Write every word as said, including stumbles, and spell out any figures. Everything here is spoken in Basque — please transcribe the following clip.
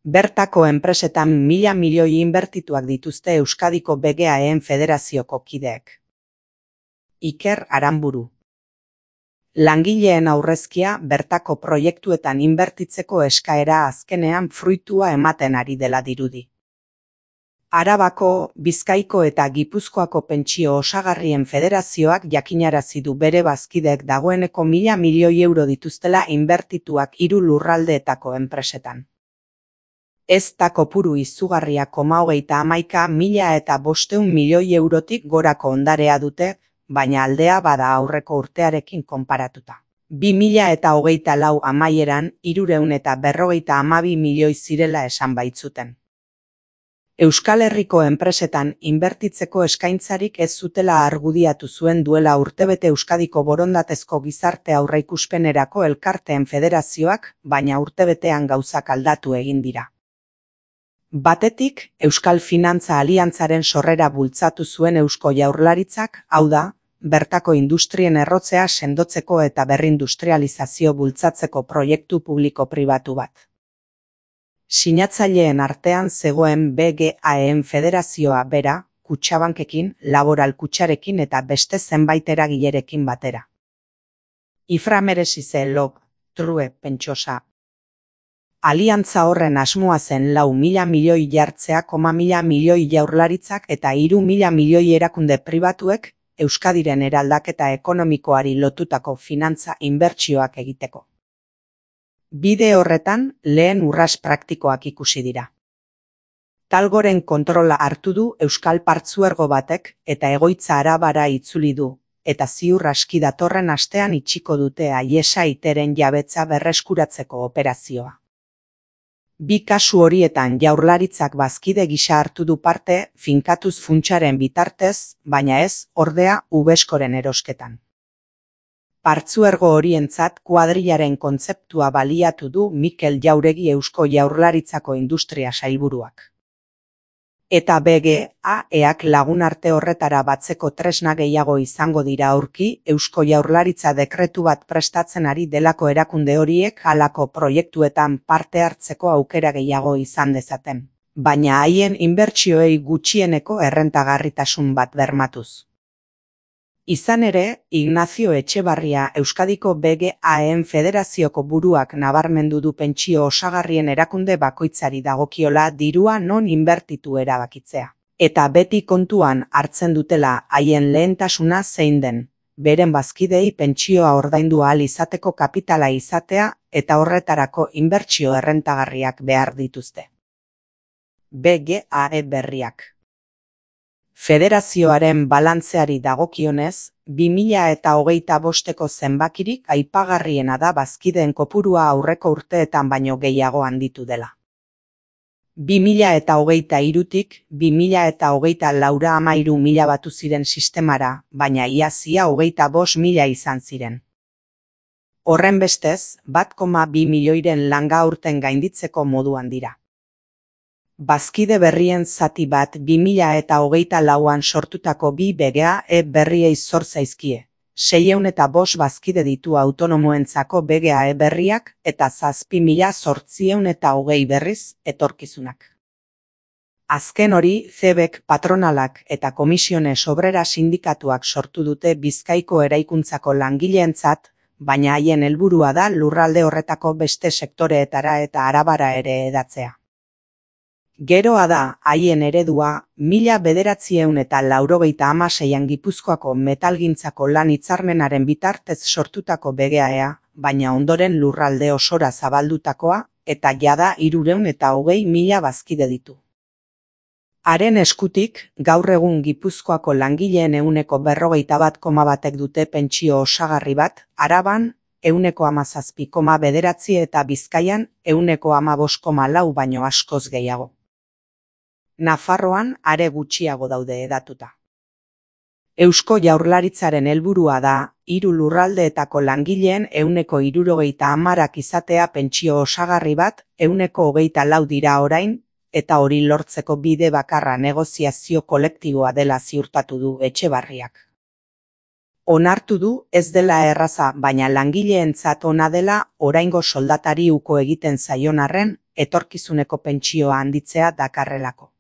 Bertako enpresetan mila milioi inbertituak dituzte Euskadiko B G A E-en federazioko kideek. Iker Aranburu. Langileen aurrezkia bertako proiektuetan inbertitzeko eskaera azkenean fruitua ematen ari dela dirudi. Arabako, Bizkaiko eta Gipuzkoako pentsio osagarrien federazioak jakinarazi du bere bazkideek dagoeneko mila milioi euro dituztela inbertituak hiru lurraldeetako enpresetan. Ez da kopuru izugarria koma hogeita hamaika mila eta bostehun milioi eurotik gorako ondarea dute, baina aldea bada aurreko urtearekin konparatuta. Bi mila eta hogeita lau amaieran hirurehun eta berrogeita hamabi milioi zirela esan baitzuten. Euskal Herriko enpresetan inbertitzeko eskaintzarik ez zutela argudiatu zuen duela urtebete Euskadiko borondatezko gizarte aurreikuspenerako elkarteen federazioak, baina urtebetean gauzak aldatu egin dira. Batetik, Euskal Finantza Aliantzaren sorrera bultzatu zuen Eusko Jaurlaritzak, hau da, bertako industrien errotzea sendotzeko eta berrindustrializazio bultzatzeko proiektu publiko-pribatu bat. Sinatzaileen artean zegoen B G A E-en federazioa bera, Kutxabankekin, Laboral Kutxarekin eta beste zenbait eragilerekin batera. Ifra meresize log, true pentsosa. Aliantza horren asmoa zen lau mila milioi jartzea koma mila milioi jaurlaritzak eta hiru mila milioi erakunde pribatuek Euskadiren eraldaketa ekonomikoari lotutako finantza inbertsioak egiteko. Bide horretan, lehen urrats praktikoak ikusi dira. Talgoren kontrola hartu du Euskal Partzuergo batek eta egoitza Arabara itzuli du, eta ziur aski datorren astean itxiko dute Aiesa Iteren jabetza berreskuratzeko operazioa. Bi kasu horietan Jaurlaritzak bazkide gisa hartu du parte finkatuz funtsaren bitartez, baina ez, ordea, Ubeskoren erosketan. Partzuergo horientzat kuadrilaren kontzeptua baliatu du Mikel Jauregi Eusko Jaurlaritzako Industria Sailburuak. Eta B G A E-ak lagunarte horretara batzeko tresna gehiago izango dira aurki Eusko Jaurlaritza dekretu bat prestatzen ari delako erakunde horiek halako proiektuetan parte hartzeko aukera gehiago izan dezaten, baina haien inbertsioei gutxieneko errentagarritasun bat bermatuz. Izan ere, Ignacio Etxebarria Euskadiko B G A E-en federazioko buruak nabarmendu du pentsio osagarrien erakunde bakoitzari dagokiola dirua non inbertitu erabakitzea. Eta beti kontuan hartzen dutela haien lehentasuna zein den, beren bazkidei pentsioa ordaindu ahal izateko kapitala izatea eta horretarako inbertsio errentagarriak behar dituzte. B G A E berriak. Federazioaren balantzeari dagokionez, bi mila eta hogeita bosteko zenbakirik aipagarriena da bazkideen kopurua aurreko urteetan baino gehiago handitu dela. Bi mila eta hogeita hirutik, bi mila eta hogeita laura hamairu mila batu ziren sistemara, baina iazia hogeita bost mila izan ziren. Horrenbestez, bat koma bi milioiren langa aurten gainditzeko moduan dira. Bazkide berrien zati bat bi mila eta hogeita lauan sortutako bi B G A E berriei zor zaizkie. Seiehun eta bost bazkide ditu autonomoentzako B G A E berriak eta zazpi mila zortziehun eta hogei berriz etorkizunak. Azken hori, C B E K patronalak eta Komisiones Obrera sindikatuak sortu dute Bizkaiko eraikuntzako langileentzat, baina haien helburua da lurralde horretako beste sektoreetara eta Arabara ere hedatzea. Geroa da, haien eredua, mila bederatziehun eta laurogeita hamaseian Gipuzkoako metalgintzako lan hitzarmenaren bitartez sortutako B G A E-a, baina ondoren lurralde osora zabaldutakoa, eta jada hirurehun eta hogei mila bazkide ditu. Haren eskutik, gaur egun Gipuzkoako langileen ehuneko berrogeita bat koma batek dute pentsio osagarri bat, Araban, ehuneko hamazazpi koma bederatzi eta Bizkaian, ehuneko hamabost koma lau baino askoz gehiago. Nafarroan are gutxiago daude hedatuta. Eusko Jaurlaritzaren helburua da, hiru lurraldeetako langileen ehuneko hirurogeita hamarak izatea pentsio osagarri bat, ehuneko hogeita lau dira orain, eta hori lortzeko bide bakarra negoziazio kolektiboa dela ziurtatu du Etxebarriak. Onartu du ez dela erraza, baina langileentzat ona dela oraingo soldatari uko egiten zaion arren etorkizuneko pentsioa handitzea dakarrelako.